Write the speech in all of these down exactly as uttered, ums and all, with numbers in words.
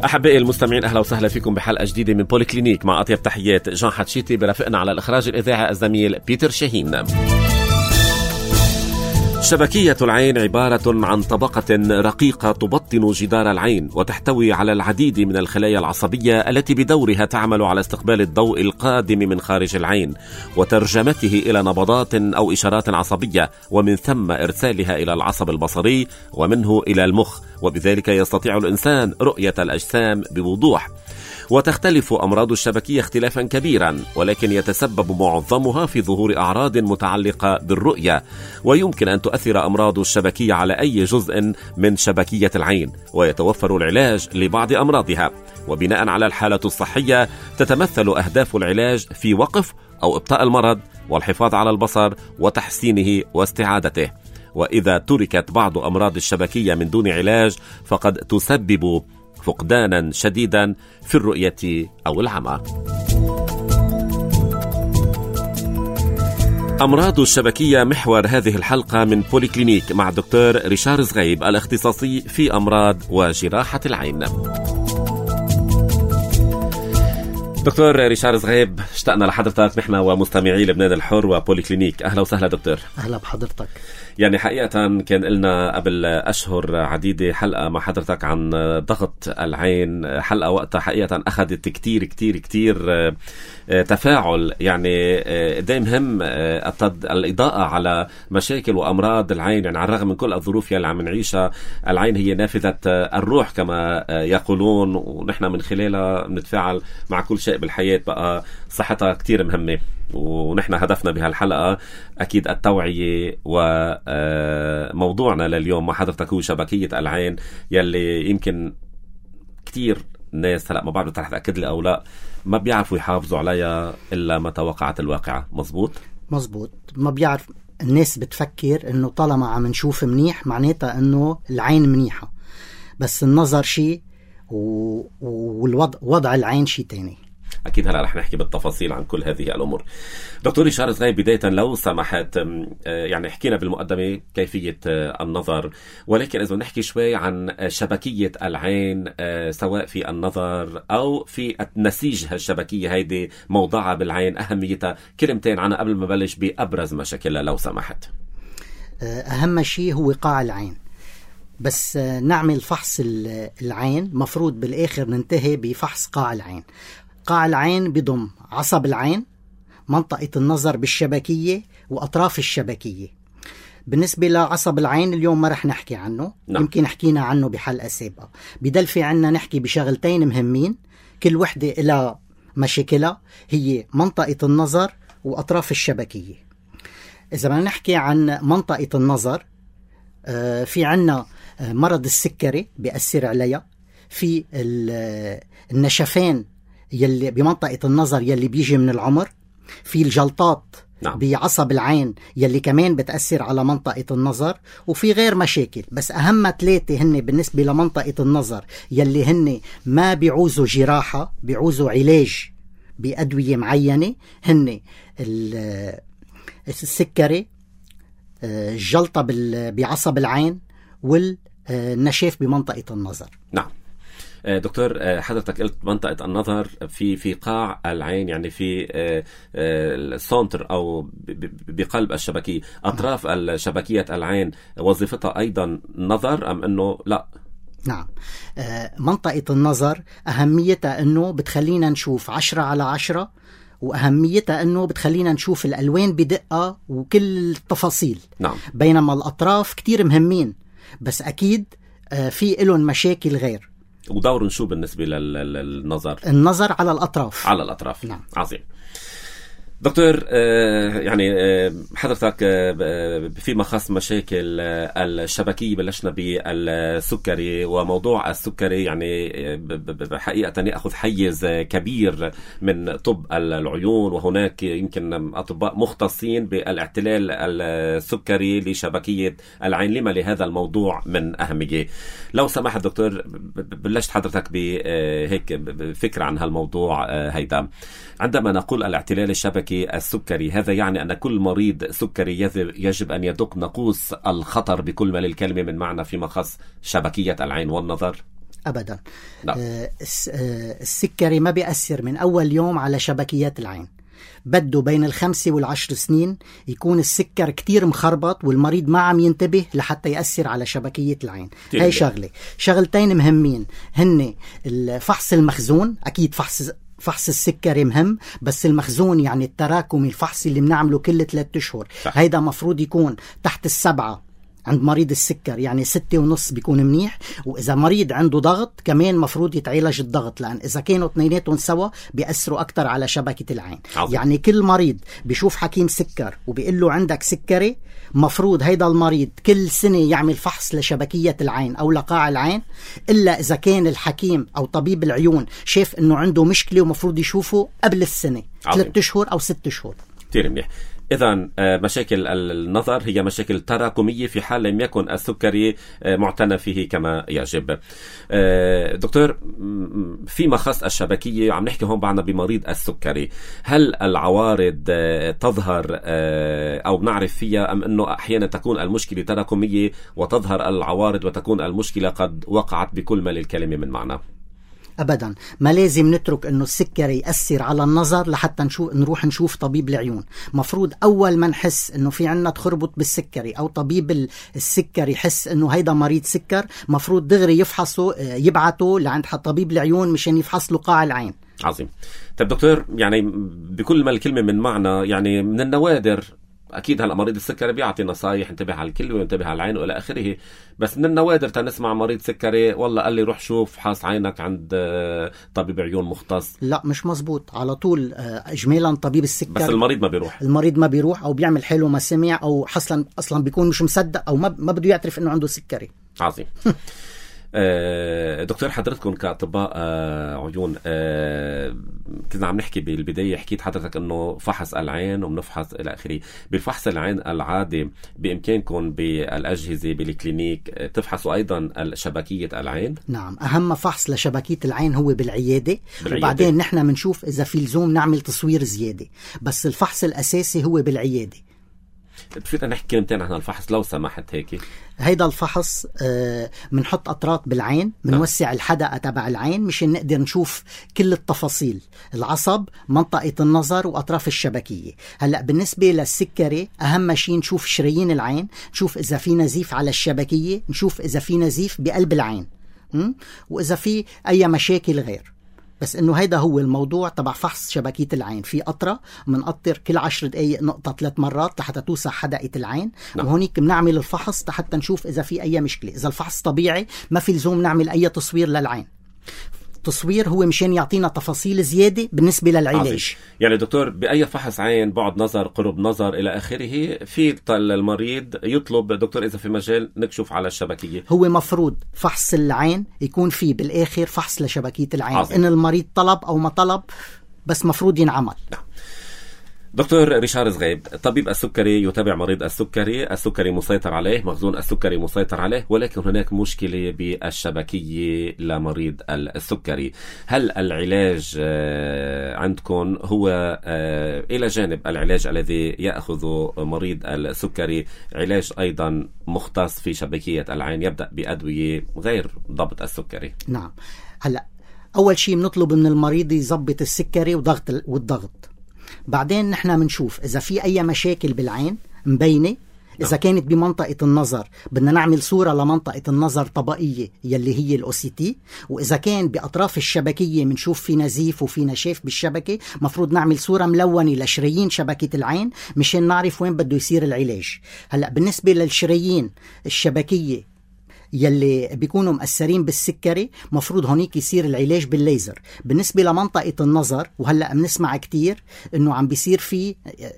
أحبائي المستمعين، أهلا وسهلا فيكم بحلقة جديدة من بوليكلينيك مع أطيب تحيات جان حتشيتي، برافقنا على الإخراج الإذاعي الزميل بيتر شاهين. شبكية العين عبارة عن طبقة رقيقة تبطن جدار العين وتحتوي على العديد من الخلايا العصبية التي بدورها تعمل على استقبال الضوء القادم من خارج العين وترجمته إلى نبضات أو إشارات عصبية، ومن ثم إرسالها إلى العصب البصري ومنه إلى المخ، وبذلك يستطيع الإنسان رؤية الأجسام بوضوح. وتختلف أمراض الشبكية اختلافا كبيرا، ولكن يتسبب معظمها في ظهور أعراض متعلقة بالرؤية، ويمكن أن تؤثر أمراض الشبكية على أي جزء من شبكية العين، ويتوفر العلاج لبعض أمراضها. وبناء على الحالة الصحية تتمثل أهداف العلاج في وقف أو إبطاء المرض والحفاظ على البصر وتحسينه واستعادته. وإذا تركت بعض أمراض الشبكية من دون علاج فقد تسبب فقدانا شديدا في الرؤية أو العمى. أمراض الشبكية محور هذه الحلقة من بوليكلينيك مع الدكتور ريشار زغيب الاختصاصي في أمراض وجراحة العين. دكتور ريشار زغيب، اشتقنا لحضرتك نحن ومستمعي لبنان الحر وبوليكلينيك. أهلا وسهلا دكتور. أهلا بحضرتك. يعني حقيقة كان لنا قبل أشهر عديدة حلقة مع حضرتك عن ضغط العين، حلقة وقتها حقيقة أخذت كتير كتير كتير تفاعل. يعني ده مهم الإضاءة على مشاكل وأمراض العين، يعني على الرغم من كل الظروف اللي عم نعيشها، العين هي نافذة الروح كما يقولون، ونحن من خلالها نتفاعل مع كل شيء بالحياة. بقى صحتها كتير مهمة، ونحن هدفنا بهالحلقة أكيد التوعية. وموضوعنا لليوم مع حضرتك هو شبكية العين، يلي يمكن كتير ناس هلأ ما بعرف رح تأكد لي أو لا ما بيعرفوا يحافظوا عليها إلا متى وقعت الواقعة. مزبوط؟ مزبوط. ما بيعرف الناس، بتفكر إنه طالما عم نشوف منيح معناتها إنه العين منيحة، بس النظر شيء والوضع وضع العين شيء تاني. أكيد هلا رح نحكي بالتفاصيل عن كل هذه الأمور. دكتور ريشار زغيب، بداية لو سمحت، يعني حكينا بالمقدمة كيفية النظر، ولكن إذا نحكي شوي عن شبكية العين سواء في النظر أو في النسيج، هالشبكية هيدي موضعها بالعين، أهميتها، كلمتين عنها قبل ما بلش بأبرز مشاكلها لو سمحت. أهم شيء هو قاع العين. بس نعمل فحص العين مفروض بالآخر ننتهي بفحص قاع العين. قاع العين بضم عصب العين، منطقة النظر بالشبكية وأطراف الشبكية. بالنسبة لعصب العين اليوم ما رح نحكي عنه، نعم. يمكن حكينا عنه بحلقة سابقة. بدل في عنا نحكي بشغلتين مهمين كل وحدة إلى مشاكلها، هي منطقة النظر وأطراف الشبكية. إذا ما نحكي عن منطقة النظر، آه في عنا آه مرض السكري بيأثر عليها، في النشفان يلي بمنطقة النظر يلي بيجي من العمر، في الجلطات نعم. بعصب العين يلي كمان بتأثر على منطقة النظر، وفي غير مشاكل. بس أهم ثلاثة هن بالنسبة لمنطقة النظر يلي هن ما بيعوزوا جراحة، بيعوزوا علاج بأدوية معينة، هن السكري، الجلطة بعصب العين، والنشاف بمنطقة النظر. نعم دكتور، حضرتك قلت منطقة النظر في في قاع العين، يعني في السنتر أو بقلب الشبكية. أطراف الشبكية العين وظيفتها أيضا نظر أم أنه لا؟ نعم، منطقة النظر أهميتها أنه بتخلينا نشوف عشرة على عشرة، وأهميتها أنه بتخلينا نشوف الألوان بدقة وكل التفاصيل. نعم. بينما الأطراف كتير مهمين، بس أكيد في لهم مشاكل غير. ودور شو بالنسبة للنظر؟ النظر على الأطراف. على الأطراف. نعم. عظيم. دكتور، يعني حضرتك فيما خص مشاكل الشبكية بلشنا بالسكري، وموضوع السكري يعني حقيقة يأخذ حيز كبير من طب العيون، وهناك يمكن أطباء مختصين بالاعتلال السكري لشبكية العين. لما لهذا الموضوع من أهمية؟ لو سمحت دكتور، بلشت حضرتك بهيك فكرة عن هالموضوع هيدا. عندما نقول الاعتلال الشبكي السكري، هذا يعني أن كل مريض سكري يجب أن يدق ناقوس الخطر بكل ما للكلمة من معنى فيما خص شبكية العين والنظر؟ أبدا. لا. آه السكري ما بيأثر من أول يوم على شبكيات العين، بده بين الخمسة والعشر سنين يكون السكر كتير مخربط والمريض ما عم ينتبه لحتى يأثر على شبكية العين. هاي شغلة. شغلتين مهمين هن الفحص المخزون، أكيد فحص فحص السكري مهم، بس المخزون يعني التراكمي الفحصي اللي بنعمله كل ثلاثة أشهر هيدا مفروض يكون تحت السبعة عند مريض السكر، يعني ستة ونص بيكون منيح. وإذا مريض عنده ضغط كمان مفروض يتعالج الضغط، لأن إذا كانوا اثنيناتهم سوا بيأثروا أكتر على شبكة العين. عظيم. يعني كل مريض بيشوف حكيم سكر وبيقول له عندك سكري، مفروض هيدا المريض كل سنة يعمل فحص لشبكية العين أو لقاع العين، إلا إذا كان الحكيم أو طبيب العيون شاف إنه عنده مشكلة ومفروض يشوفه قبل السنة ثلاثة أشهر أو ستة أشهر. كتير منيح. إذن مشاكل النظر هي مشاكل تراكمية في حال لم يكن السكري معتنى فيه كما يجب. دكتور، فيما خص الشبكية عم نحكي هون بعنا بمريض السكري، هل العوارض تظهر أو بنعرف فيها، أم أنه أحيانا تكون المشكلة تراكمية وتظهر العوارض وتكون المشكلة قد وقعت بكل ما للكلمة من معنى؟ أبدا، ما لازم نترك أنه السكري يأثر على النظر لحتى نشوف نروح نشوف طبيب العيون. مفروض أول ما نحس أنه في عنا تخربط بالسكري أو طبيب السكري يحس أنه هيدا مريض سكر، مفروض دغري يفحصه، يبعته لعند طبيب العيون مشان يفحص له قاع العين. عظيم. طيب دكتور، يعني بكل ما الكلمة من معنى، يعني من النوادر أكيد هلأ مريض السكري بيعطي نصايح انتبه على الكلى وينتبه على العين وإلى آخره، بس من النوادر تنسمع مريض سكري والله قال لي روح شوف حاص عينك عند طبيب عيون مختص. لا، مش مزبوط. على طول إجمالا طبيب السكر، بس المريض ما بيروح المريض ما بيروح أو بيعمل حاله ما سمع، أو أصلا أصلا بيكون مش مصدق أو ما ما بده يعترف إنه عنده سكري. عظيم. دكتور، حضرتكم كأطباء عيون كنا عم نحكي بالبداية، حكيت حضرتك انه فحص العين وبنفحص الى اخره. بالفحص العين العادي بامكانكم بالاجهزة بالكلينيك تفحصوا ايضا شبكية العين؟ نعم، اهم فحص لشبكية العين هو بالعيادة, بالعيادة. وبعدين نحن بنشوف اذا في لزوم نعمل تصوير زيادة، بس الفحص الاساسي هو بالعيادة. بفيت نحكي كلمتين عن الفحص لو سمحت هيك؟ هيدا الفحص بنحط آه أطراط بالعين، بنوسع الحدقة تبع العين مشان نقدر نشوف كل التفاصيل، العصب، منطقة النظر وأطراف الشبكية. هلأ بالنسبة للسكري أهم شيء نشوف شرايين العين، نشوف إذا في نزيف على الشبكية، نشوف إذا في نزيف بقلب العين، م? وإذا في أي مشاكل غير. بس انه هيدا هو الموضوع تبع فحص شبكية العين. في قطرة منقطر كل عشر دقايق نقطة ثلاث مرات لحتى توسع حدقة العين. نعم. وهونيك بنعمل الفحص حتى نشوف اذا في اي مشكلة. اذا الفحص طبيعي ما في لزوم نعمل اي تصوير للعين. تصوير هو مشان يعطينا تفاصيل زيادة بالنسبة للعلاج. عظيم. يعني دكتور، بأي فحص عين، بعد نظر، قرب نظر إلى آخره، في المريض يطلب دكتور إذا في مجال نكشف على الشبكية، هو مفروض فحص العين يكون فيه بالآخر فحص لشبكية العين. عظيم. إن المريض طلب أو ما طلب، بس مفروض ينعمل. نعم. دكتور ريشار زغيب، طبيب السكري يتابع مريض السكري، السكري مسيطر عليه، مخزون السكري مسيطر عليه، ولكن هناك مشكلة بالشبكية لمريض السكري. هل العلاج عندكم هو إلى جانب العلاج الذي يأخذ مريض السكري علاج أيضا مختص في شبكية العين يبدأ بأدوية غير ضبط السكري؟ نعم. هلأ أول شيء بنطلب من المريض يضبط السكري وضغط والضغط. بعدين نحن منشوف إذا في أي مشاكل بالعين مبينة. إذا كانت بمنطقة النظر بدنا نعمل صورة لمنطقة النظر طبقية يلي هي الأو سي تي. وإذا كان بأطراف الشبكية منشوف في نزيف وفي نشاف بالشبكة، مفروض نعمل صورة ملونة لشرايين شبكة العين مشان نعرف وين بده يصير العلاج. هلأ بالنسبة للشرايين الشبكية يلي بيكونوا مأثرين بالسكري، مفروض هونيك يصير العلاج بالليزر. بالنسبة لمنطقة النظر، وهلأ بنسمع كتير إنه عم بيصير فيه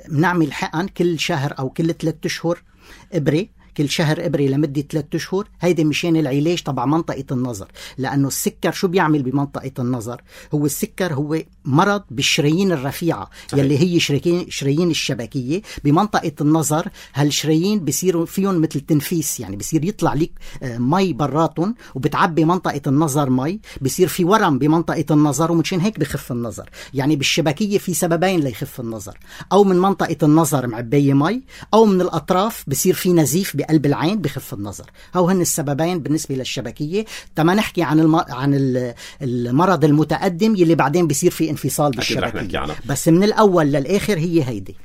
بنعمل حقن كل شهر أو كل ثلاثة أشهر إبرة، كل شهر إبرة لمدة ثلاثة أشهر. هيدا مشان العلاج تبع منطقة النظر، لأنه السكر شو بيعمل بمنطقة النظر؟ هو السكر هو مرض بالشرايين الرفيعة يلي هي شرايين شرايين الشبكية بمنطقة النظر. هالشرايين بيصيروا فيهم مثل تنفيس، يعني بيصير يطلع لك مي براتهم وبتعبي منطقة النظر مي، بيصير في ورم بمنطقة النظر ومشان هيك بخف النظر. يعني بالشبكية في سببين ليخف النظر، أو من منطقة النظر معبية مي، أو من الأطراف بيصير في نزيف بقلب العين بخف النظر. هو هن السببين بالنسبة للشبكية. تما نحكي عن الم... عن المرض المتقدم يلي بعدين بيصير في انفصال بالشبكية، بس من الأول للآخر هي هيدي.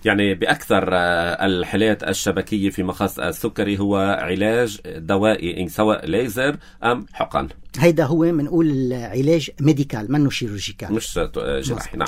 يعني بأكثر الحالات الشبكية في مخص السكري هو علاج دوائي، سواء ليزر أم حقن. هيدا هو منقول علاج ميديكال منه شيروجيكال، مش جراحي. نعم.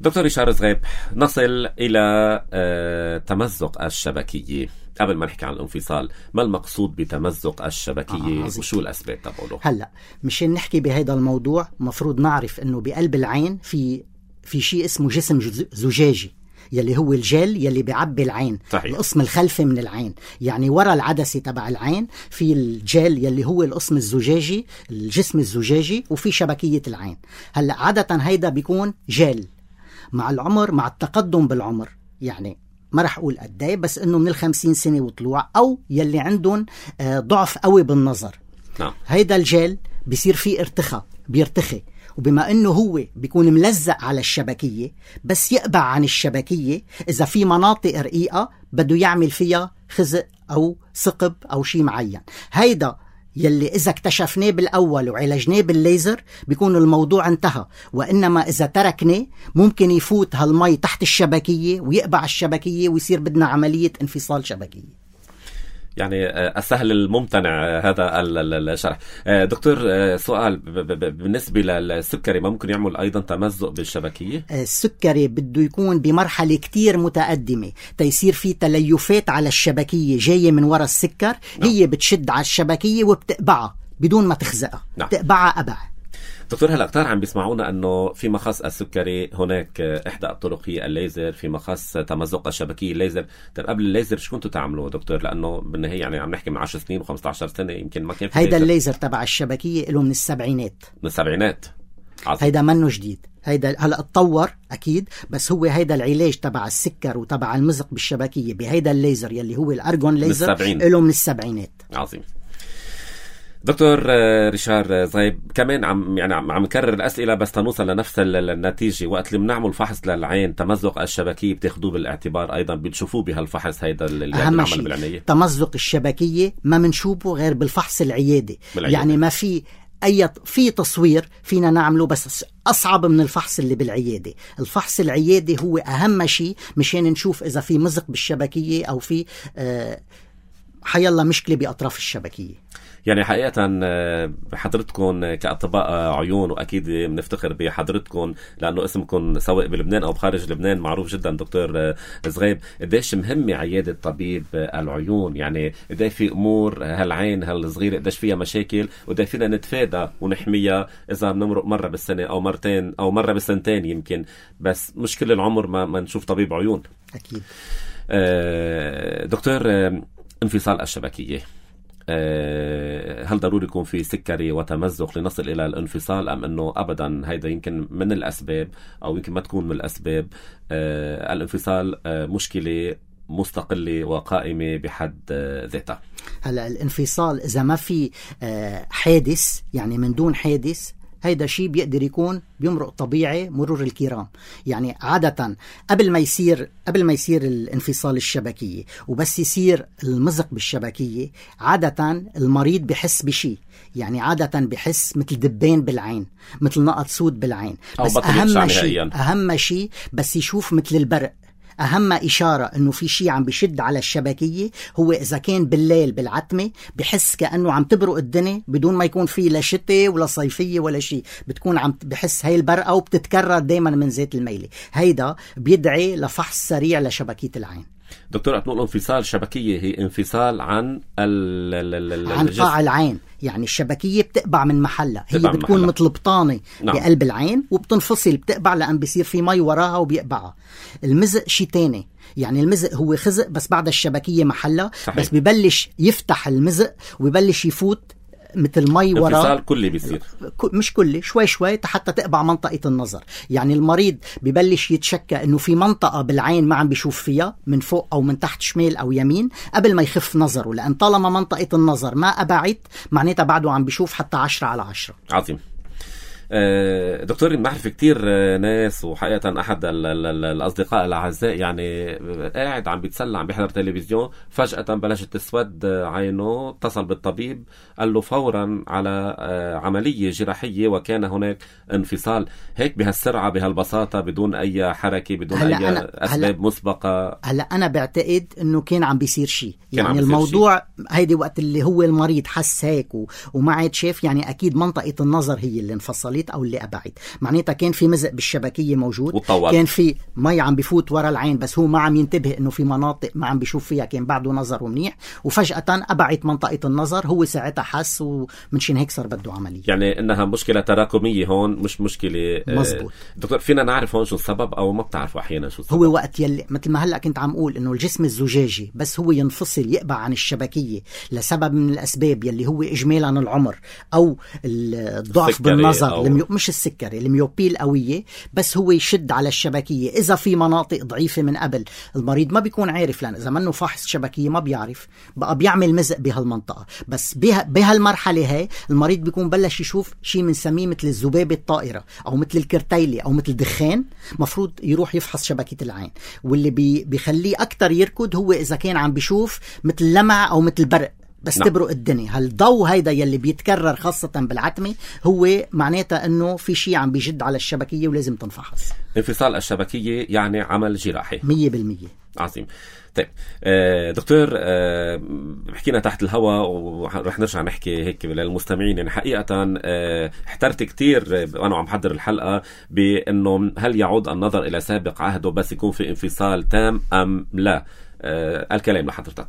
دكتور ريشار زغيب، نصل إلى تمزق الشبكية. قبل ما نحكي عن الانفصال، ما المقصود بتمزق الشبكية آه وشو الأسباب تبعه؟ هلأ مشان نحكي بهذا الموضوع مفروض نعرف أنه بقلب العين في في شيء اسمه جسم زجاجي يلي هو الجل يلي بيعبي العين. صحيح. القسم الخلفي من العين، يعني ورا العدسة تبع العين في الجل يلي هو القسم الزجاجي، الجسم الزجاجي، وفي شبكية العين. هلأ عادة هيدا بيكون جل. مع العمر، مع التقدم بالعمر، يعني ما رح أقول قداي، بس إنه من الخمسين سنة وطلوع، أو يلي عندهم ضعف قوي بالنظر، نعم. هيدا الجل بيصير فيه ارتخاء، بيرتخي، وبما إنه هو بيكون ملزق على الشبكية، بس يقبع عن الشبكية إذا في مناطق رقيقة بده يعمل فيها خزق أو ثقب أو شيء معين. هيدا يلي إذا اكتشفناه بالأول وعالجناه بالليزر بيكون الموضوع انتهى، وإنما إذا تركناه ممكن يفوت هالمي تحت الشبكية ويقبع الشبكية ويصير بدنا عملية انفصال شبكية. يعني السهل الممتنع هذا الشرح. دكتور، سؤال بالنسبة للسكري، ما ممكن يعمل أيضا تمزق بالشبكية؟ السكري بده يكون بمرحلة كتير متقدمة تيصير فيه تليفات على الشبكية جاية من وراء السكر. نعم. هي بتشد على الشبكية وبتقبعها بدون ما تخزقها. نعم. بتقبعها قبع. دكتور، هلا كتار عم بيسمعونا انه في مخص السكري هناك احدى الطرق هي الليزر، في مخص تمزق الشبكيه الليزر. طيب قبل الليزر شو كنتوا تعملوا دكتور؟ لانه بالنهايه يعني عم نحكي من عشر سنين وخمسة عشر سنه يمكن ما كان في هيدا الليزر تبع الشبكيه له من السبعينات. من السبعينات. عظيم. هيدا منه جديد، هيدا هلا اتطور اكيد، بس هو هيدا العلاج تبع السكر وتبع المزق بالشبكيه بهيدا الليزر يلي هو الارجون ليزر له من السبعينات. عظيم. دكتور ريشار زغيب، كمان عم يعني عم نكرر الأسئلة بس تنوصل لنفس النتيجة. وقت اللي بنعمل فحص للعين تمزق الشبكية بتاخدوه بالاعتبار أيضا، بتشوفوه بهالفحص هيدا اللي بنعمل بالعناية؟ تمزق الشبكية ما منشوفه غير بالفحص العيادي. بالعيادة. يعني ما في أي في تصوير فينا نعمله، بس أصعب من الفحص اللي بالعيادة. الفحص العيادي هو أهم شيء مشان نشوف إذا في مزق بالشبكية أو في آه حيالله مشكلة بأطراف الشبكية. يعني حقيقة حضرتكم كأطباء عيون، وأكيد بنفتخر بحضرتكم لأنه اسمكم سواء بلبنان أو بخارج لبنان معروف جدا. دكتور زغيب، قديش مهمة عيادة طبيب العيون؟ يعني قديش في أمور هالعين هالصغيرة قديش فيها مشاكل، وقديش فينا نتفادى ونحميها إذا بنمرق مرة بالسنة أو مرتين أو مرة بالسنتين يمكن، بس مش كل العمر ما, ما نشوف طبيب عيون. أكيد. دكتور، انفصال الشبكية، هل ضروري يكون في سكري وتمزق لنصل إلى الانفصال، أم أنه أبدا هيدا يمكن من الأسباب أو يمكن ما تكون من الأسباب؟ الانفصال مشكلة مستقلة وقائمة بحد ذاتها. هلا الانفصال إذا ما في حادث، يعني من دون حادث، هيدا شيء بيقدر يكون بيمرق طبيعي مرور الكرام. يعني عادة قبل ما يصير قبل ما يصير الانفصال الشبكية وبس يصير المزق بالشبكية، عادة المريض بحس بشيء، يعني عادة بحس مثل دبان بالعين، مثل نقط سود بالعين، بس أهم شيء أهم شيء بس يشوف مثل البرق. أهم إشارة إنه في شيء عم بيشد على الشبكية هو إذا كان بالليل بالعتمة بحس كأنه عم تبرق الدنيا بدون ما يكون فيه لا شتاء ولا صيفية ولا شيء، بتكون عم بحس هاي البرقة وبتتكرر دايما من زيت الميلة. هيدا بيدعي لفحص سريع لشبكية العين. دكتور، أتنقل انفصال شبكية هي انفصال عن ال عن قاع العين، يعني الشبكية بتقبع من محلها، هي بتكون مثل بطانة. نعم. بقلب العين وبتنفصل بتقبع لأن بيصير في مي وراها وبيقبعها. المزق شي تاني، يعني المزق هو خزق بس بعد الشبكية محلها. صحيح. بس ببلش يفتح المزق وببلش يفوت مثل مي وراه. انفصال كلي بيصير، مش كلي، شوي شوي حتى تقبع منطقة النظر. يعني المريض ببلش يتشكى انه في منطقة بالعين ما عم بيشوف فيها من فوق او من تحت، شمال او يمين، قبل ما يخف نظره، لان طالما منطقة النظر ما قبعت معناتها بعده عم بيشوف حتى عشرة على عشرة. عظيم. دكتور، بنعرف كتير ناس، وحقيقة أحد الأصدقاء الأعزاء يعني قاعد عم بيتسلى عم بيحضر تلفزيون، فجأة بلشت تسود عينه، اتصل بالطبيب قال له فورا على عملية جراحية وكان هناك انفصال. هيك بهالسرعة بهالبساطة بدون أي حركة بدون أي أسباب مسبقة؟ هلا أنا بعتقد إنه كان عم بيصير شيء، يعني الموضوع هيدي وقت اللي هو المريض حس هيك وما عاد شاف، يعني أكيد منطقة النظر هي اللي انفصلت أو اللي أبعد، معناتها كان في مزق بالشبكية موجود وطول. كان في مي عم بيفوت ورا العين بس هو ما عم ينتبه إنه في مناطق ما عم بيشوف فيها، كان بعده نظر منيح وفجأة أبعد منطقة النظر، هو ساعتها حس ومنشان هيك صار بده عملية. يعني إنها مشكلة تراكمية هون، مش مشكلة. مزبوط. دكتور، فينا نعرف هون شو السبب أو ما بتعرفوا أحيانا شو السبب؟ هو وقت يلي مثل ما هلأ كنت عم أقول إنه الجسم الزجاجي بس هو ينفصل يقبع عن الشبكية لسبب من الأسباب يلي هو إجمالا العمر أو الضعف بالنظر أو... الميو... مش السكري، الميوبية القوية، بس هو يشد على الشبكية. إذا في مناطق ضعيفة من قبل المريض ما بيكون عارف، لأن إذا منه فحص شبكية ما بيعرف، بقى بيعمل مزق بهالمنطقة. بس بها... بهالمرحلة هاي المريض بيكون بلش يشوف شيء بنسميه مثل الذبابة الطائرة أو مثل الكرتيلة أو مثل دخان، مفروض يروح يفحص شبكية العين. واللي بي... بيخليه أكتر يركض هو إذا كان عم بيشوف مثل لمع أو مثل برق بس نعم. تبرق الدنيا. هالضوء هيدا يلي بيتكرر خاصة بالعتمة هو معناتها انه في شيء عم بيجد على الشبكية ولازم تنفحص. انفصال الشبكية يعني عمل جراحي مية بالمية. عظيم. طيب دكتور، حكينا تحت الهواء ورح نرجع نحكي هيك للمستمعين. يعني حقيقة احترت كتير وأنا عم حضر الحلقة بأنه هل يعود النظر إلى سابق عهده بس يكون في انفصال تام أم لا؟ الكلام لحضرتك.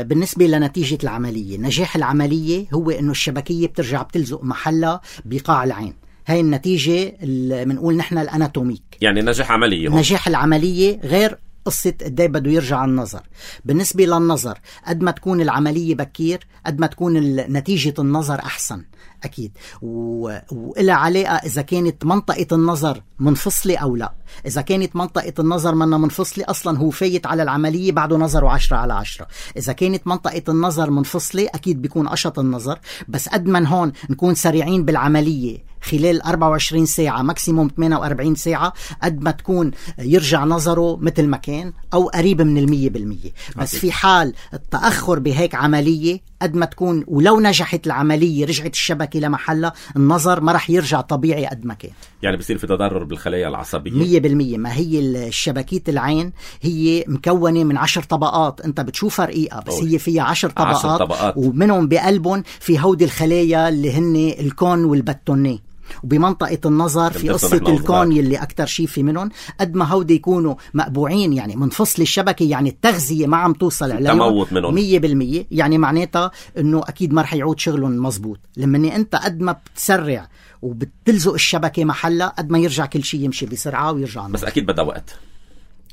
بالنسبة لنتيجة العملية، نجاح العملية هو إنه الشبكية بترجع بتلزق محلها بقاع العين. هاي النتيجة اللي بنقول نحن الأناتوميك، يعني نجاح عملية. هم. نجاح العملية غير قصة قد ايه بده يرجع النظر. بالنسبة للنظر، قد ما تكون العملية بكير قد ما تكون نتيجة النظر أحسن أكيد، وإلها علاقة إذا كانت منطقة النظر منفصلة أو لا. إذا كانت منطقة النظر منا منفصلة أصلا هو فايت على العملية بعده نظره عشرة على عشرة. إذا كانت منطقة النظر منفصلة أكيد بيكون أشط النظر، بس قد من هون نكون سريعين بالعملية خلال أربعة وعشرين ساعة ماكسيموم ثمانية وأربعين ساعة، قد ما تكون يرجع نظره مثل ما كان أو قريب من المية بالمية. بس في حال التأخر بهيك عملية قد ما تكون ولو نجحت العملية رجعت الشبكة لمحلها النظر ما رح يرجع طبيعي قد ما كان. يعني بصير في تضرر بالخلايا العصبية مية بالمية. ما هي الشبكية العين هي مكونة من عشر طبقات، انت بتشوفها رقيقة بس أوه. هي فيها عشر طبقات, عشر طبقات. ومنهم بقلبهم في هودي الخلايا اللي هن الكون والباتوني، وبمنطقة النظر في قصة الكون يلي أكتر شيء في منهم. قد ما هودي يكونوا مقبوعين يعني منفصل الشبكة، يعني التغذية ما عم توصل عليهم مية بالمية، يعني معناتها أنه أكيد ما رح يعود شغلهم مزبوط. لما أنت قد ما بتسرع وبتلزق الشبكة محلها قد ما يرجع كل شيء يمشي بسرعة ويرجع النظر. بس أكيد بدأ وقت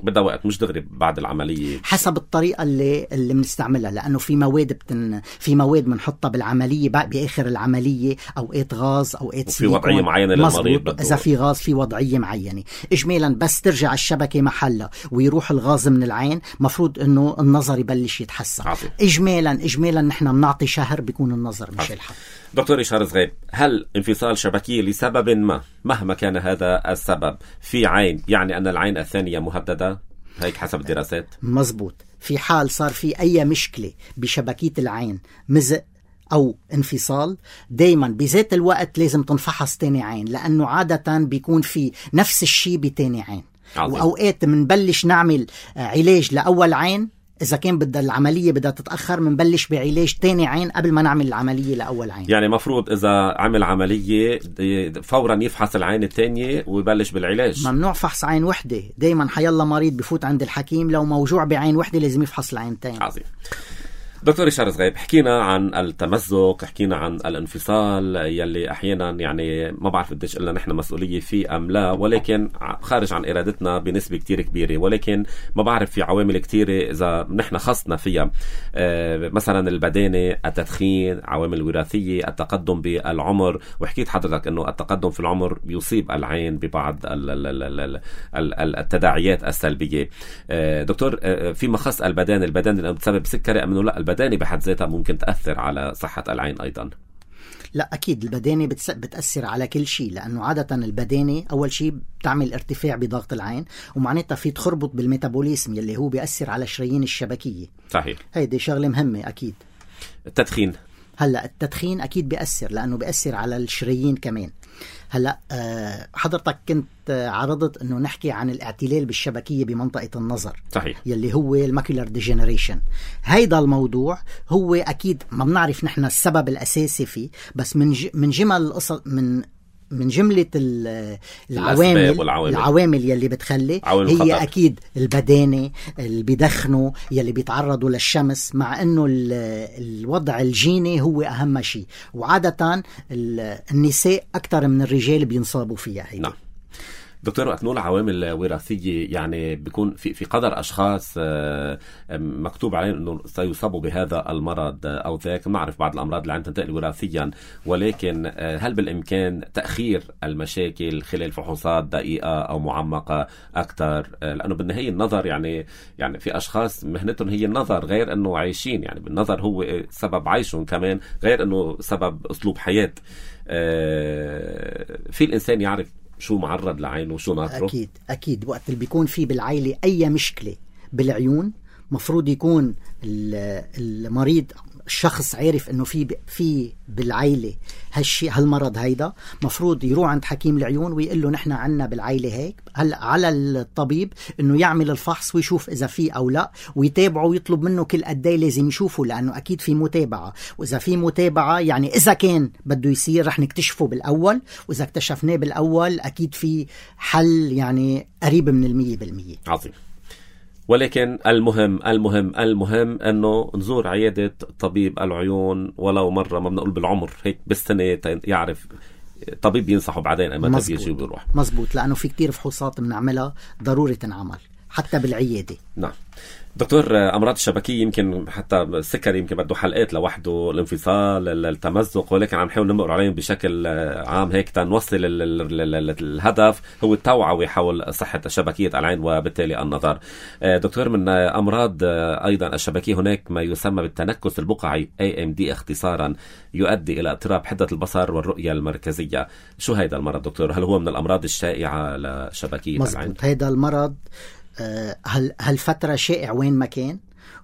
بدأ وقت مش دغري بعد العملية، حسب الطريقة اللي اللي بنستعملها، لأنه في مواد بتن في مواد بنحطها بالعملية بآخر العملية، أوقات غاز أوقات سيليكون، في وضعية معينة للمريض. إذا في غاز في وضعية معينة إجمالا بس ترجع الشبكة محلها ويروح الغاز من العين مفروض إنه النظر يبلش يتحسن. عفو. إجمالا إجمالا نحن بنعطي شهر بيكون النظر مش الحق. دكتور ريشار زغيب، هل انفصال شبكية لسبب ما مهما كان هذا السبب في عين يعني أن العين الثانية مهددة؟ هيك حسب الدراسات. مزبوط. في حال صار في أي مشكلة بشبكية العين، مزق أو انفصال، دايما بذات الوقت لازم تنفحص تاني عين، لأنه عادة بيكون في نفس الشيء بتاني عين. عظيم. وأوقات منبلش نعمل علاج لأول عين، إذا كان بدها العملية بدها تتأخر منبلش بعلاج تاني عين قبل ما نعمل العملية لأول عين. يعني مفروض إذا عمل عملية فورا يفحص العين التانية ويبلش بالعلاج. ممنوع فحص عين وحدة، دايما حيلا مريض بفوت عند الحكيم لو موجوع بعين وحدة لازم يفحص العين التانية. عظيم. دكتور ريشار زغيب، حكينا عن التمزق، حكينا عن الانفصال يلي أحيانا يعني ما بعرف قديش إلا نحن مسؤولية فيه أم لا، ولكن خارج عن إرادتنا بنسبة كتير كبيرة، ولكن ما بعرف في عوامل كتيرة إذا نحن خصنا فيها، آه مثلا البدانة، التدخين، عوامل وراثية، التقدم بالعمر. وحكيت حضرتك أنه التقدم في العمر بيصيب العين ببعض التداعيات السلبية. آه دكتور، آه فيما خص البدانة، البدانة بتسبب سكري أم لا البدانة بحد ذاتها ممكن تأثر على صحة العين أيضا؟ لا أكيد البدانة بتس... بتأثر على كل شيء، لأنه عادة البدانة أول شيء بتعمل ارتفاع بضغط العين، ومعناتها في تخربط بالميتابوليزم يلي هو بيأثر على الشرايين الشبكية. صحيح. هيدي شغلة مهمة أكيد. التدخين هلا التدخين أكيد بيأثر، لأنه بيأثر على الشرايين كمان. هلا أه حضرتك كنت عرضت انه نحكي عن الاعتلال بالشبكيه بمنطقه النظر. صحيح. يلي هو الماكولار ديجنريشن. هيدا الموضوع هو اكيد ما بنعرف نحن السبب الاساسي فيه، بس من ج... من جمل القصص من من جملة العوامل العوامل يلي بتخلي هي الخطر. أكيد البدانة اللي بيدخنوا يلي بيتعرضوا للشمس، مع أنه الوضع الجيني هو أهم شيء، وعادة النساء أكثر من الرجال بينصابوا فيها هي. نعم دكتور، وقت نقول عوامل وراثية يعني بيكون في في قدر أشخاص مكتوب عليهم إنه سيصابوا بهذا المرض أو ذاك. نعرف بعض الأمراض اللي عندها تنتقل وراثيا، ولكن هل بالإمكان تأخير المشاكل خلال فحوصات دقيقة أو معمقة أكثر؟ لأنه بالنهاية النظر يعني يعني في أشخاص مهنتهم هي النظر، غير إنه عايشين يعني بالنظر هو سبب عيشهم كمان، غير إنه سبب أسلوب حياة. في الإنسان يعرف شو معرض لعينه وشو ناطره؟ أكيد أكيد وقت اللي بيكون في بالعائلة أي مشكلة بالعيون، مفروض يكون المريض الشخص عارف انه في في بالعائله هالشيء هالمرض هيدا، مفروض يروح عند حكيم العيون ويقول له نحن عنا بالعائله هيك. هلا على الطبيب انه يعمل الفحص ويشوف اذا في او لا، ويتابعه ويطلب منه كل قد ايه لازم يشوفه، لانه اكيد في متابعه، واذا في متابعه يعني اذا كان بده يصير رح نكتشفه بالاول، واذا اكتشفناه بالاول اكيد في حل يعني قريب من المية بالمية. عظيم. ولكن المهم المهم المهم أنه نزور عيادة طبيب العيون ولو مرة، ما بنقول بالعمر، هيك بالسنة يعرف طبيب ينصحه بعدين أما تبيجي وبيروح. مزبوط، لأنه في كتير فحوصات بنعملها ضروري تنعمل حتى بالعيادة. نعم دكتور، أمراض الشبكية يمكن حتى السكر يمكن بده حلقات لوحده، الانفصال، التمزق، ولكن عم نحاول نمر عليهم بشكل عام هيك تنوصل الهدف هو التوعية حول صحة شبكية العين وبالتالي النظر. دكتور، من أمراض أيضا الشبكية هناك ما يسمى بالتنكس البقعي إيه إم دي اختصارا، يؤدي إلى اضطراب حدة البصر والرؤية المركزية. شو هيدا المرض دكتور؟ هل هو من الأمراض الشائعة لشبكية مزبوط. العين؟ هيدا المرض هالفترة شائع وين ما كان،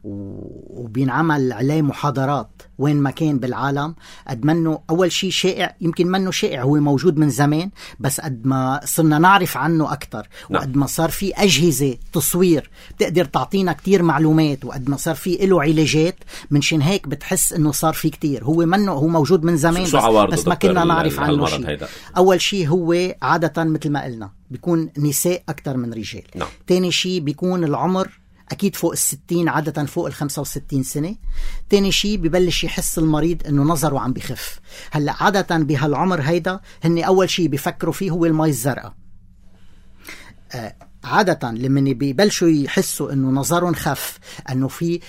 وبينعمل عليه محاضرات وين ما كان بالعالم. قد منه أول شيء شائع، يمكن منه شائع، هو موجود من زمان، بس قد ما صرنا نعرف عنه أكتر، وقد ما صار في أجهزة تصوير بتقدر تعطينا كتير معلومات، وقد ما صار في له علاجات، منشان هيك بتحس إنه صار في كتير. هو منه هو موجود من زمان، بس, بس ما كنا نعرف عنه شيء. أول شيء هو عادة مثل ما قلنا بيكون نساء أكتر من رجال. نعم. تاني شيء بيكون العمر أكيد فوق الستين، عادة فوق الخمسة وستين سنة. تاني شيء ببلش يحس المريض إنه نظره عم بخف. هلأ عادة بهالعمر هيدا هن أول شيء بيفكروا فيه هو المي الزرقاء. آه عادة لما بيبلشوا يحسوا انه نظرهم خف، انه في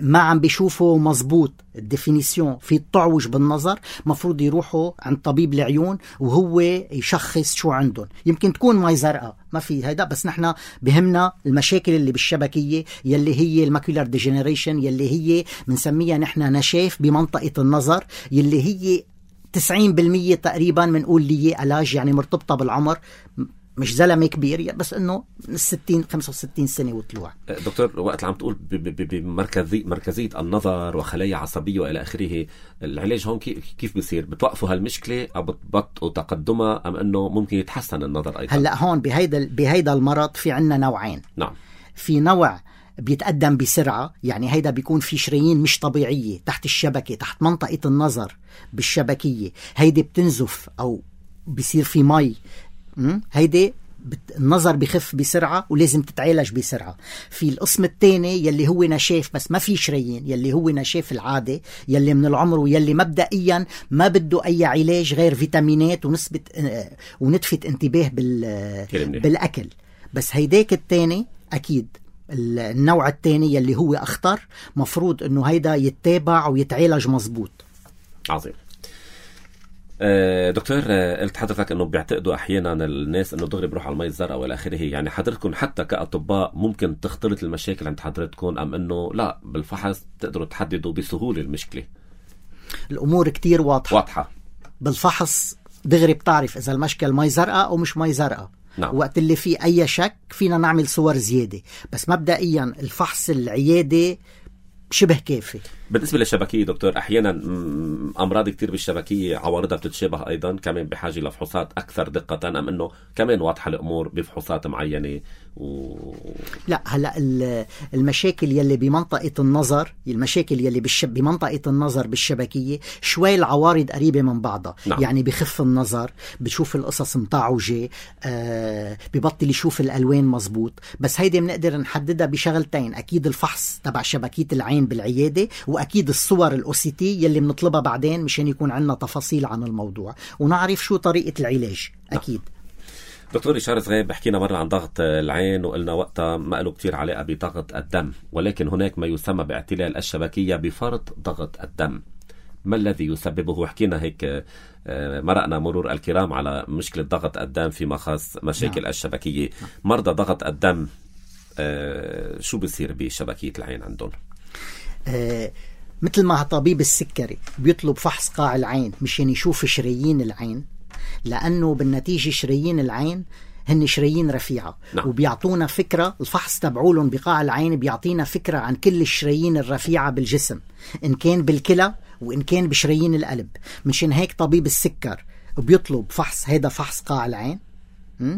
ما عم بيشوفوا مزبوط الديفينيسيون، في التعوج بالنظر، مفروض يروحوا عند طبيب العيون وهو يشخص شو عندهم. يمكن تكون مي زرقاء ما في هيدا، بس نحن بهمنا المشاكل اللي بالشبكية يلي هي الماكولار ديجنريشن، يلي هي بنسميها نحن نشاف بمنطقة النظر، يلي هي تسعين بالمية تقريبا بنقول لي علاج يعني مرتبطة بالعمر، مش زلمة كبير، بس انه ستين خمسة وستين سنة وطلوع. دكتور، وقت عم تقول بمركزية مركزية النظر وخلايا عصبية وإلى آخره، العلاج هون كيف بيصير؟ بتوقفوا هالمشكلة أو بتبطئوا تقدمها، أم أنه ممكن يتحسن النظر أيضا؟ هلأ هون بهيدا بهيدا المرض في عنا نوعين. نعم. في نوع بيتقدم بسرعة، يعني هيدا بيكون في شرايين مش طبيعية تحت الشبكة، تحت منطقة النظر بالشبكية، هيدي بتنزف أو بيصير في مي، هيدي النظر بخف بسرعة ولازم تتعالج بسرعة. في القسم الثاني يلي هو نشاف بس ما في شرايين، يلي هو نشاف العادة، يلي من العمر، ويلي مبدئيا ما بده أي علاج غير فيتامينات ونسبة ونتفة انتباه بالأكل. بس هيداك الثاني أكيد النوع الثاني يلي هو أخطر، مفروض أنه هيدا يتابع ويتعالج مزبوط. عظيم. دكتور، قلت حضرتك انه بيعتقدوا احيانا الناس انه دغري بروح على المي الزرقاء والى اخره، يعني حضرتكم حتى كاطباء ممكن تختلط المشاكل عند حضرتكم، ام انه لا بالفحص تقدروا تحددوا بسهوله المشكله؟ الامور كتير واضحه واضحه بالفحص دغري بتعرف إذا المشكل مي زرقاء أو مش مي زرقاء. نعم. وقت اللي فيه أي شك فينا نعمل صور زيادة، بس مبدئيا الفحص العيادي شبه كافي. بالنسبة للشبكية دكتور، أحيانا أمراض كتير بالشبكية عوارضها بتتشابه أيضا، كمان بحاجة لفحوصات أكثر دقة، أم أنه كمان واضحة الأمور بفحوصات معينة؟ و... لا هلا المشاكل يلي بمنطقة النظر، المشاكل يلي بالش... بمنطقة النظر بالشبكية شوي العوارض قريبة من بعضها. نعم. يعني بخف النظر، بشوف القصص متعوجة، آه ببطل يشوف الألوان مزبوط. بس هيدي بنقدر نحددها بشغلتين، أكيد الفحص تبع شبكية العين بالعيادة، وأكيد الصور الأوسيتي يلي بنطلبها بعدين مشان يكون عندنا تفاصيل عن الموضوع ونعرف شو طريقة العلاج. أكيد. دكتور ريشار زغيب، حكينا مرة عن ضغط العين وقلنا وقتها ما له كتير علاقة بضغط الدم، ولكن هناك ما يسمى باعتلال الشبكية بفرط ضغط الدم. ما الذي يسببه؟ وحكينا هيك مرقنا مرور الكرام على مشكلة ضغط الدم فيما خاص مشاكل نعم. الشبكية. مرضى ضغط الدم شو بيصير بشبكية العين عندهم؟ آه مثل ما طبيب السكري بيطلب فحص قاع العين مشان يشوف شرايين العين، لأنه بالنتيجة شرايين العين هن شرايين رفيعة. نعم. وبيعطونا فكرة، الفحص تبعولهم بقاع العين بيعطينا فكرة عن كل الشرايين الرفيعة بالجسم، إن كان بالكلى وإن كان بشرايين القلب. مشان هيك طبيب السكر بيطلب فحص، هيدا فحص قاع العين،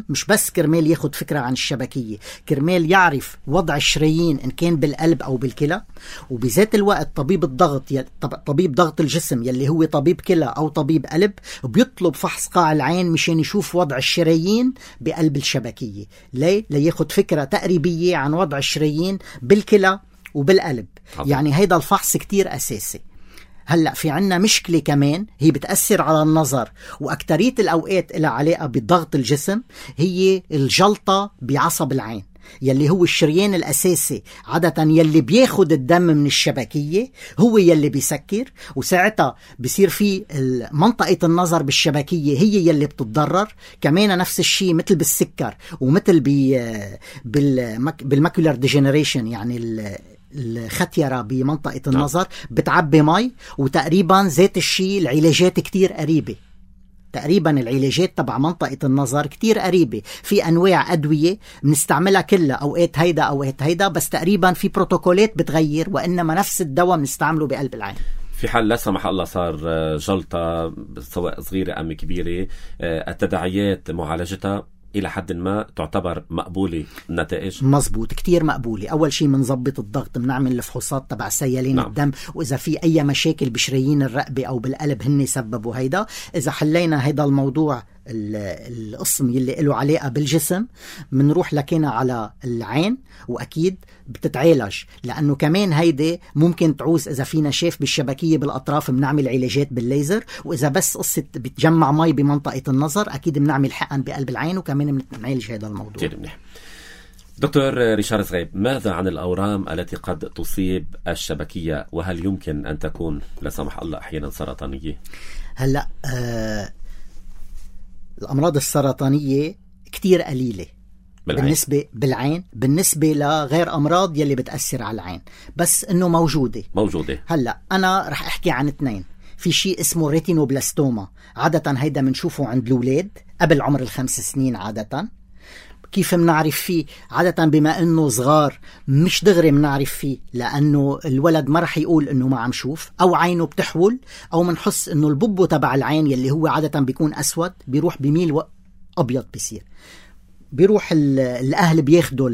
مش بس كرمال ياخد فكرة عن الشبكية، كرمال يعرف وضع الشرايين إن كان بالقلب أو بالكلى. وبذات الوقت طبيب الضغط ي... طبيب ضغط الجسم يلي هو طبيب كلى أو طبيب قلب بيطلب فحص قاع العين مشان يشوف وضع الشرايين بقلب الشبكية. ليه؟ لياخد فكرة تقريبية عن وضع الشرايين بالكلى وبالقلب. حضر. يعني هيدا الفحص كتير أساسي. هلأ في عنا مشكلة كمان هي بتأثر على النظر، وأكترية الأوقات إلها علاقة بضغط الجسم، هي الجلطة بعصب العين يلي هو الشريان الأساسي عادة يلي بياخد الدم من الشبكية، هو يلي بيسكر. وساعتها بيصير في منطقة النظر بالشبكية هي يلي بتتضرر. كمان نفس الشيء مثل بالسكر ومثل بالماكولار ديجنريشن، يعني الختيرة بمنطقة النظر بتعبي مي. وتقريبا ذات الشيء العلاجات كتير قريبة، تقريبا العلاجات تبع منطقة النظر كتير قريبة. في أنواع أدوية بنستعملها كلها، أوقات هيدا أوقات هيدا، بس تقريبا في بروتوكولات بتغير، وإنما نفس الدواء بنستعمله بقلب العين. في حال لا سمح الله صار جلطة سواء صغيرة أم كبيرة، التداعيات معالجتها إلى حد ما تعتبر مقبولة النتائج؟ مزبوط، كتير مقبولة. أول شيء منضبط الضغط، بنعمل الفحوصات تبع سيالين نعم. الدم، وإذا في أي مشاكل بشرايين الرقبة أو بالقلب هن سببوا هيدا. إذا حلينا هيدا الموضوع القسم يلي له علاقة بالجسم، منروح لكينا على العين، وأكيد بتتعالج، لأنه كمان هيدا ممكن تعوز إذا فينا شاف بالشبكية بالأطراف بنعمل علاجات بالليزر، وإذا بس قصة بتجمع مي بمنطقة النظر أكيد بنعمل حقن بقلب العين، وكمان بنعالج هذا الموضوع. كتير منيح. دكتور ريشار زغيب، ماذا عن الأورام التي قد تصيب الشبكية، وهل يمكن أن تكون لا سمح الله أحيانا سرطانية؟ هلأ آه الأمراض السرطانية كتير قليلة بالعين. بالنسبة بالعين بالنسبة لغير أمراض يلي بتأثر على العين، بس إنه موجودة موجودة. هلأ أنا رح أحكي عن اثنين. في شيء اسمه ريتينوبلاستوما، عادة هيدا منشوفه عند الأولاد قبل عمر الخمس سنين. عادة كيف منعرف فيه؟ عادة بما انه صغار مش دغري منعرف فيه، لانه الولد ما رح يقول انه ما عم شوف، او عينه بتحول، او منحس انه الببو تبع العين يلي هو عادة بيكون اسود بيروح بميل ابيض. بيصير بيروح الأهل بياخدوا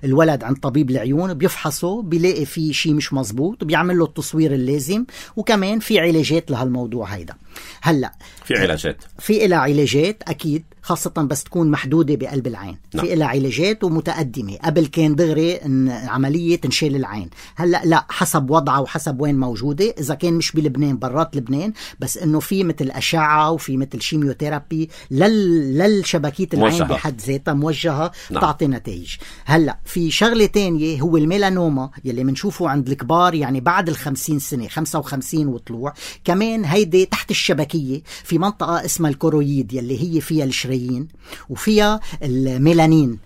الولد عند طبيب العيون، بيفحصوا بيلاقي فيه شيء مش مزبوط، بيعمل له التصوير اللازم، وكمان في علاجات لهالموضوع هيدا. هلأ في علاجات في إلها علاجات أكيد، خاصة بس تكون محدودة بقلب العين. نعم. في إلها علاجات ومتقدمة. قبل كان دغري إن عملية تنشيل العين، هلأ لا، حسب وضعها وحسب وين موجودة. إذا كان مش بلبنان برات لبنان، بس إنه في مثل أشعة وفي مثل شيميوثيرابي لل... للشبكية العين موجهة. بحد ذاتها موجهة. نعم. تعطي نتائج. هلأ في شغلة تانية هو الميلانوما يلي منشوفه عند الكبار، يعني بعد الخمسين سنة، خمسة وخمسين وطلوع. كمان هيدي تحت الشبكية في منطقة اسمها الكورويد يلي هي فيها الشرايين وفيها الميلانين.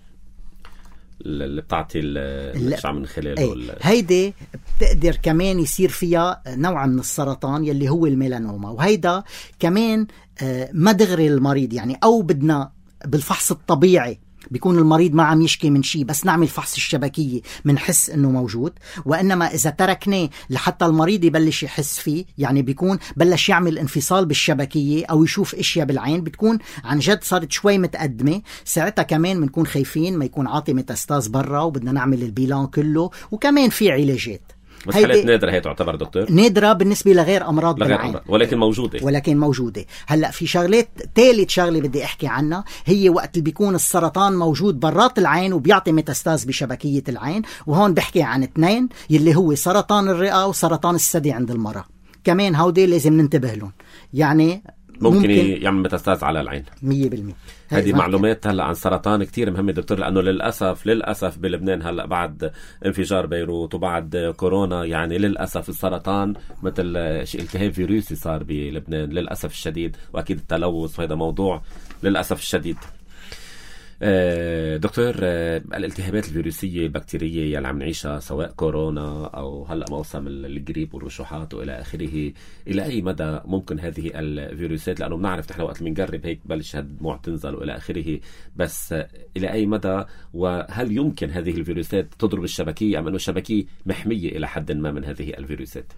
اللي بتعطي الأشعة من خلاله ايه. هيدي بتقدر كمان يصير فيها نوع من السرطان يلي هو الميلانوما، وهيدا كمان ما دغري المريض يعني، أو بدنا بالفحص الطبيعي بيكون المريض ما عم يشكي من شيء، بس نعمل فحص الشبكية منحس انه موجود. وانما اذا تركناه لحتى المريض يبلش يحس فيه، يعني بيكون بلش يعمل انفصال بالشبكية او يشوف اشياء بالعين، بتكون عن جد صارت شوي متقدمة. ساعتها كمان بنكون خايفين ما يكون عاطي ميتاستاز برا، وبدنا نعمل البيلان كله، وكمان في علاجات. بس حالات نادرة هي تعتبر دكتور؟ نادرة بالنسبة لغير أمراض لغير بالعين، أمراض. ولكن موجودة ولكن موجودة. هلأ في شغلات، ثالث شغلة بدي أحكي عنها، هي وقت اللي بيكون السرطان موجود برات العين وبيعطي ميتاستاز بشبكية العين. وهون بحكي عن اثنين، يلي هو سرطان الرئة وسرطان الثدي عند المرأة. كمان هودي لازم ننتبه لهم، يعني ممكن, ممكن يعمل ميتاستاز على العين مية بالمية. هذه معلومات هلا عن سرطان كتير مهمة دكتور، لأنه للأسف للأسف بلبنان هلا بعد انفجار بيروت وبعد كورونا، يعني للأسف السرطان مثل التهاب فيروسي صار بلبنان للأسف الشديد، وأكيد التلوث، وهذا موضوع للأسف الشديد. دكتور، الالتهابات الفيروسية البكتيرية يلي عم نعيشها سواء كورونا أو هلأ موسم الجريب والرشوحات وإلى آخره، إلى أي مدى ممكن هذه الفيروسات، لأنه بنعرف نحن وقت منقرب هيك بلش هالدموع تنزل وإلى آخره، بس إلى أي مدى، وهل يمكن هذه الفيروسات تضرب الشبكية أم أنه الشبكية محمية إلى حد ما من هذه الفيروسات؟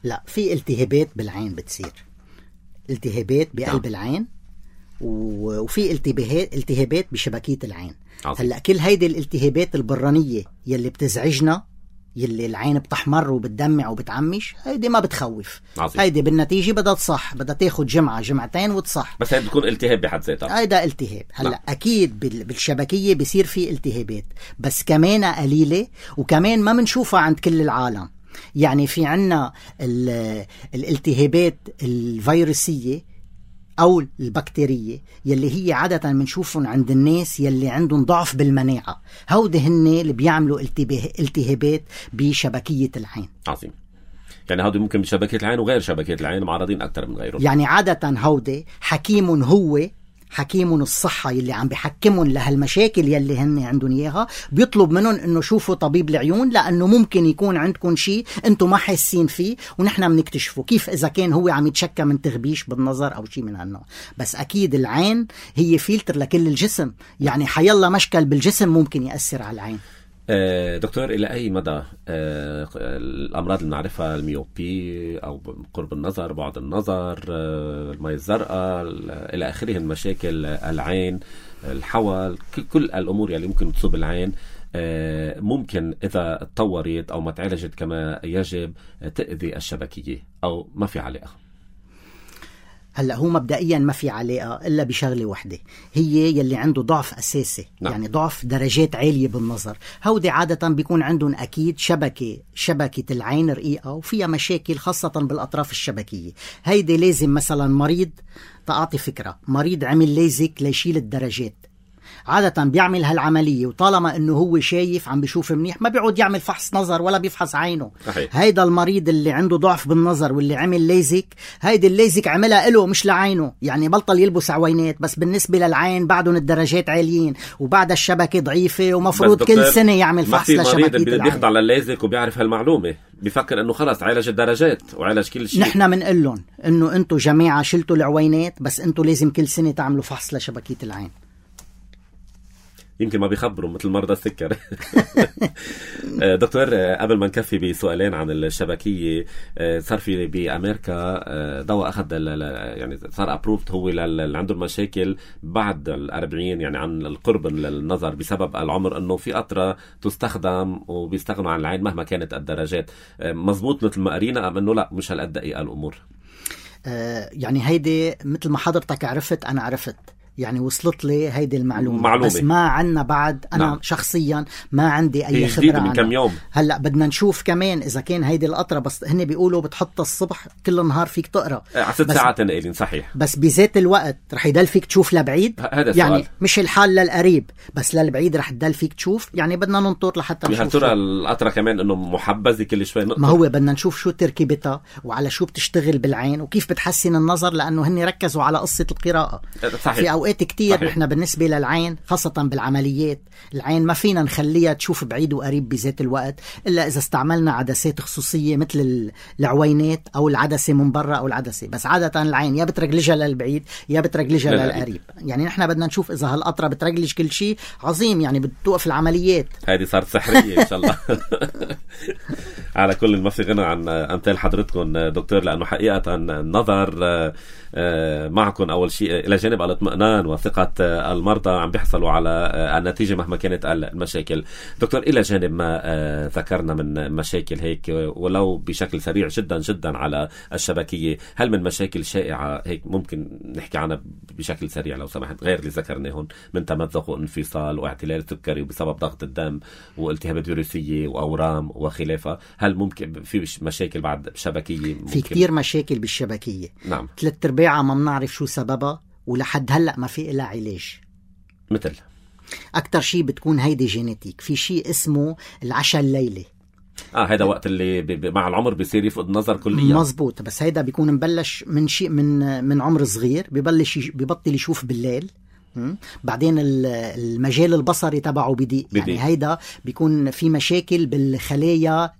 لا، في التهابات بالعين بتصير، التهابات بقلب نعم. العين، وفي التهابات التهابات بشبكية العين. عظيم. هلا كل هيدي الالتهابات البرانية يلي بتزعجنا، يلي العين بتحمر وبتدمع وبتعمش، هيدي ما بتخوف. عظيم. هيدي بالنتيجة بدها تصح، بدها تاخد جمعة جمعتين وتصح، بس هيدي بتكون التهاب بحد ذاتها. هيدا التهاب. هلا نعم. أكيد بالشبكية بيصير في التهابات، بس كمان قليلة، وكمان ما منشوفها عند كل العالم. يعني في عنا الالتهابات الفيروسية أو البكتيرية يلي هي عادة منشوفهم عند الناس يلي عندهم ضعف بالمناعة، هودي هن اللي بيعملوا التهابات بشبكية العين. عظيم. يعني هودي ممكن بشبكية العين وغير شبكية العين معرضين أكتر من غيرهم. يعني عادة هودي حكيم هو حكيم الصحة يلي عم بيحكمون لهالمشاكل يلي هن عندهم إياها، بيطلب منهم إنه شوفوا طبيب العيون، لأنه ممكن يكون عندكم شيء أنتم ما حاسين فيه، ونحن بنكتشفه كيف إذا كان هو عم يتشكى من تغبيش بالنظر أو شيء من هالنوع. بس أكيد العين هي فلتر لكل الجسم، يعني حيالله مشكل بالجسم ممكن يأثر على العين. دكتور، إلى أي مدى الأمراض اللي نعرفها، الميوبي أو قرب النظر، بعد النظر، الماء الزرقاء إلى آخره، المشاكل العين، الحول، كل الأمور اللي ممكن تصيب العين، ممكن إذا اتطورت أو ما تعالجت كما يجب تأذي الشبكية أو ما في علاقة؟ هلأ هو مبدئيا ما في علاقة إلا بشغلة وحدة، هي يلي عنده ضعف أساسي. نعم. يعني ضعف درجات عالية بالنظر، هودي عادة بيكون عندهم أكيد شبكة شبكة العين رقيقة وفيها مشاكل خاصة بالأطراف الشبكية. هيدي لازم مثلا مريض، تعطي فكرة، مريض عمل ليزك ليشيل الدرجات، عادة بيعمل هالعملية، وطالما انه هو شايف عم بيشوف منيح ما بيعود يعمل فحص نظر ولا بيفحص عينه. صحيح. هيدا المريض اللي عنده ضعف بالنظر واللي عمل ليزك، هيدا الليزك عملها له مش لعينه، يعني بطل يلبس عوينات، بس بالنسبة للعين بعدهم الدرجات عاليين وبعد الشبكة ضعيفة، ومفروض كل سنة يعمل فحص لشبكية العين. المريض اللي بيخضع للليزك وبيعرف هالمعلومة بيفكر انه خلاص عالج الدرجات وعالج كل شيء. نحن منقول لهم انه انتم جماعة شلتوا العوينات، بس انتم لازم كل سنة تعملوا فحص لشبكية العين. يمكن ما بيخبروا مثل مرضى السكر. دكتور، قبل ما نكفي بسؤالين عن الشبكية، صار في بأمريكا دواء أخذ يعني صار أبروفت هو اللي عنده المشاكل بعد الأربعين، يعني عن القرب للنظر بسبب العمر، أنه في قطرة تستخدم وبيستغنوا عن العين مهما كانت الدرجات. مزبوط مثل ما قرينا أم أنه لا مش هالقد دقيقة الأمور؟ آه يعني هيدي مثل ما حضرتك عرفت أنا عرفت، يعني وصلت لي هيدي المعلومة معلومة. بس ما عنا بعد أنا نعم. شخصيا ما عندي أي خبرة من كم يوم. هلأ بدنا نشوف كمان إذا كان هيدي القطرة، بس هن بيقولوا بتحط الصبح كل نهار فيك تقرأ عشر ساعات نقلين. صحيح. بس بذات الوقت رح يدل فيك تشوف لبعيد، يعني السؤال. مش الحال للقريب بس للبعيد رح يدل فيك تشوف، يعني بدنا ننطر لحتى نشوف. هل ترى القطرة كمان إنه محبذة كل شوي نقطر؟ ما هو بدنا نشوف شو تركيبتها وعلى شو بتشتغل بالعين وكيف بتحسن النظر، لأنه هن ركزوا على قصة القراءة. صحيح. في أوقات كتير نحن بالنسبة للعين خاصة بالعمليات العين ما فينا نخليها تشوف بعيد وقريب بذات الوقت إلا إذا استعملنا عدسات خصوصية مثل العوينات أو العدسة من برا أو العدسة. بس عادة العين يا بترجلجها للبعيد يا بترجلجها للقريب. يعني نحن بدنا نشوف إذا هالقطرة بترجلج كل شيء عظيم، يعني بتوقف العمليات. هذه صارت سحرية إن شاء الله. على كل ما في غنى عن أمثال حضرتكم دكتور، لأنه حقيقة النظر معكم أول شيء إلى جانب الاطمئنان وثقة المرضى عم بيحصلوا على النتيجة مهما كانت المشاكل. دكتور، إلى جانب ما ذكرنا من مشاكل هيك ولو بشكل سريع جدا جدا على الشبكية، هل من مشاكل شائعة هيك ممكن نحكي عنها بشكل سريع لو سمحت، غير اللي ذكرناهم من تمزق وانفصال واعتلال سكري بسبب ضغط الدم والتهابات فيروسية وأورام وخلافها؟ هل ممكن في مشاكل بعد شبكية؟ في كتير مشاكل بالشبكية. نعم. ثلاث ارباعها ما بنعرف شو سببها ولحد هلأ ما في إلا علاج. مثل أكتر شيء بتكون هيدي جينيتيك. في شيء اسمه العشاء الليلي. اه هيدا وقت اللي ب... ب... مع العمر بيصير يفقد النظر كليا. مزبوط. بس هيدا بيكون مبلش من شيء من من عمر صغير، ببلش يش... ببطل يشوف بالليل. م? بعدين المجال البصري تبعه بدي. يعني هيدا بيكون في مشاكل بالخلايا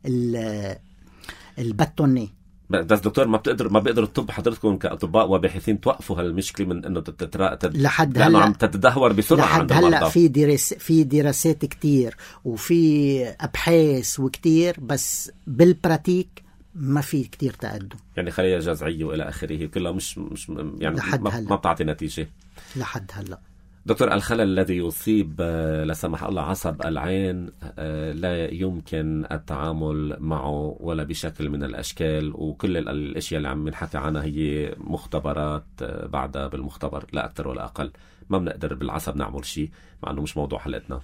البتوني. بس دكتور ما بتقدر ما بيقدر الطب حضرتكم كأطباء وباحثين توقفوا هالمشكلة من انه تترا تد... لحد هلا عم تتدهور بسرعة لحد هلا. في درس في دراسات كتير وفي ابحاث وكتير، بس بالبراتيك ما في كتير تقدم. يعني خلايا جذعية والى اخره كلها مش مش يعني ما, ما بتعطي نتيجة لحد هلا. دكتور، الخلل الذي يصيب لا سمح الله عصب العين لا يمكن التعامل معه ولا بشكل من الأشكال، وكل الأشياء اللي عم نحكي عنها هي مختبرات بعدها بالمختبر لا أكثر ولا أقل. ما بنقدر بالعصب نعمل شيء مع أنه مش موضوع حلقتنا.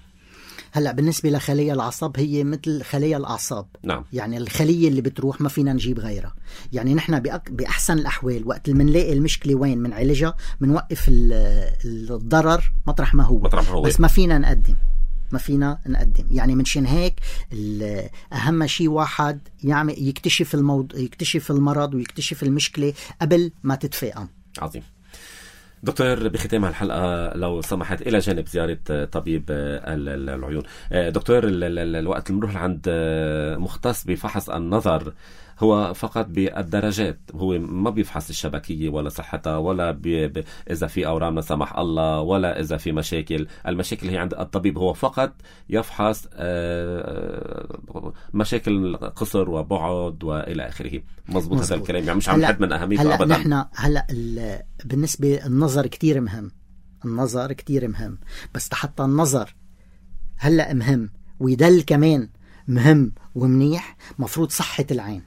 هلأ بالنسبة لخلية العصب هي مثل خلية الأعصاب. نعم. يعني الخلية اللي بتروح ما فينا نجيب غيرها. يعني نحن بأك... بأحسن الأحوال وقت اللي منلاقي المشكلة وين من علاجها منوقف الضرر مطرح ما هو. مطرح ما هو. بس ما فينا نقدم ما فينا نقدم يعني منشان هيك أهم شيء واحد يعمل يكتشف الموضوع، يكتشف المرض ويكتشف المشكلة قبل ما تتفاقم. عظيم. دكتور، بختام الحلقة لو سمحت إلى جانب زيارة طبيب العيون، دكتور الوقت اللي بنروح عند مختص بفحص النظر هو فقط بالدرجات، هو ما بيفحص الشبكية ولا صحتها ولا بي ب... إذا في أورام لا سمح الله ولا إذا في مشاكل. المشاكل هي عند الطبيب، هو فقط يفحص مشاكل قصر وبعد وإلى آخره. مظبوط هذا الكلام؟ يعني مش عم نحد من أهميته أبدا. نحن هلأ ال... بالنسبة النظر كتير مهم، النظر كتير مهم، بس حتى النظر هلأ مهم ويدل كمان مهم ومنيح، مفروض صحة العين.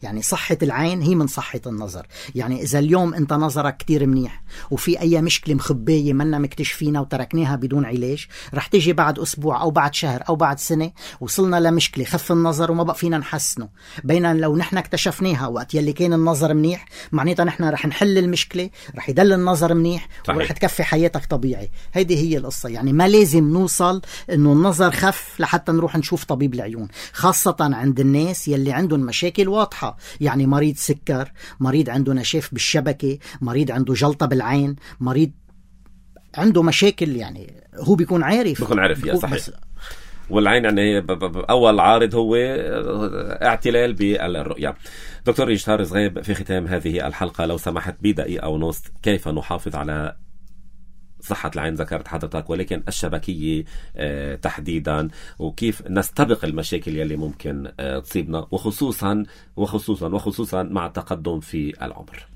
يعني صحة العين هي من صحة النظر. يعني إذا اليوم أنت نظرك كتير منيح وفي أي مشكلة مخبية منا مكتشفينها وتركناها بدون علاج، رح تيجي بعد أسبوع أو بعد شهر أو بعد سنة وصلنا لمشكلة خف النظر وما بقى فينا نحسنه. بينما لو نحن اكتشفناها وقت يلي كان النظر منيح، معناتها نحن رح نحل المشكلة، رح يدل النظر منيح صحيح. ورح تكفي حياتك طبيعي. هيدي هي القصة. يعني ما لازم نوصل إنه النظر خف لحتى نروح نشوف طبيب العيون، خاصة عند الناس يلي عندهم مشاكل واضحة. يعني مريض سكر، مريض عنده نشاف بالشبكة، مريض عنده جلطة بالعين، مريض عنده مشاكل، يعني هو بيكون عارف بيكون عارف يا صحيح. والعين يعني أول عارض هو اعتلال بالرؤية. دكتور يشتار زغيب، في ختام هذه الحلقة لو سمحت بدقيقة ونص، كيف نحافظ على صحة العين ذكرت حضرتك، ولكن الشبكية آه تحديدا، وكيف نستبق المشاكل يلي ممكن آه تصيبنا، وخصوصا وخصوصا وخصوصا مع التقدم في العمر.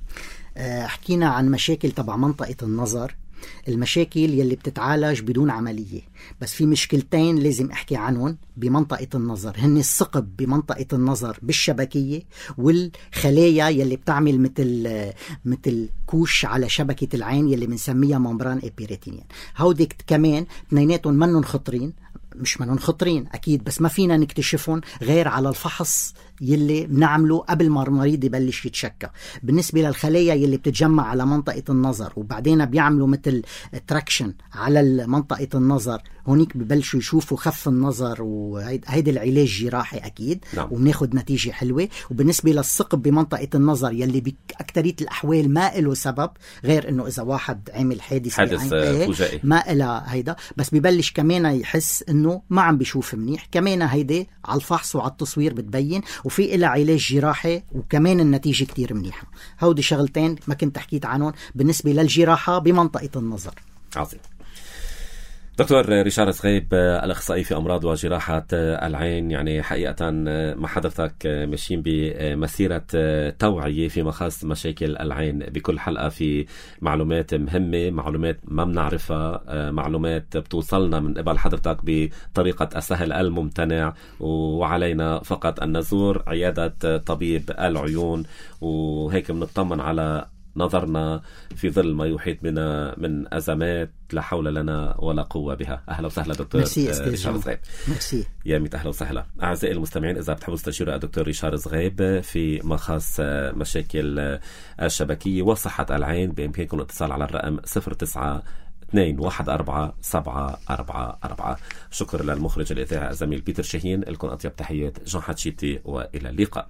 آه حكينا عن مشاكل تبع منطقة النظر، المشاكل يلي بتتعالج بدون عملية، بس في مشكلتين لازم احكي عنهم بمنطقة النظر، هن الثقب بمنطقة النظر بالشبكية، والخلايا يلي بتعمل مثل مثل كوش على شبكة العين يلي بنسميها ممبران إبيريتينيان. هودي كمان اثنيناتهم منن خطرين، مش منن خطرين أكيد، بس ما فينا نكتشفهم غير على الفحص يلي بنعمله قبل ما المريض يبلش يتشكى. بالنسبة للخلايا يلي بتتجمع على منطقة النظر وبعدين بيعملوا مثل تراكشن على منطقة النظر، هونيك ببلشوا يشوفوا خف النظر، وهيدا العلاج جراحي أكيد. نعم. وبناخد نتيجة حلوة. وبالنسبة للثقب بمنطقة النظر يلي بأكترية الأحوال ما له سبب غير إنه إذا واحد عمل حادث حادث فجائي ما إلها هيدا، بس ببلش كمان يحس إنه ما عم بيشوف منيح. كمان هيدا على الفحص وعلى التصوير بتبين، وفي إلها علاج جراحي وكمان النتيجة كتير منيحة. هودي شغلتين ما كنت حكيت عنهم بالنسبة للجراحة بمنطقة النظر. عظيم. دكتور ريشارد زغيب، الأخصائي في أمراض وجراحة العين، يعني حقيقة مع حضرتك ماشيين بمسيرة توعية في مخاص مشاكل العين، بكل حلقة في معلومات مهمة، معلومات ما بنعرفها، معلومات بتوصلنا من قبل حضرتك بطريقة السهل الممتنع، وعلينا فقط أن نزور عيادة طبيب العيون، وهيك بنطمن على نظرنا في ظل ما يحيط بنا من أزمات لا حول لنا ولا قوة بها. أهلا وسهلا دكتور ريشارد زغيب. ميرسي. يا ميت أهلا وسهلا. أعزائي المستمعين، إذا بتحبوا تستشيروا الدكتور ريشارد زغيب في مخاص مشاكل الشبكية وصحة العين، بإمكانكم الاتصال على الرقم صفر تسعة اثنين واحد أربعة سبعة أربعة أربعة. شكر للمخرج الإذاعي الزميل بيتر شاهين. لكم أطيب تحيات جون حتشيتي، وإلى اللقاء.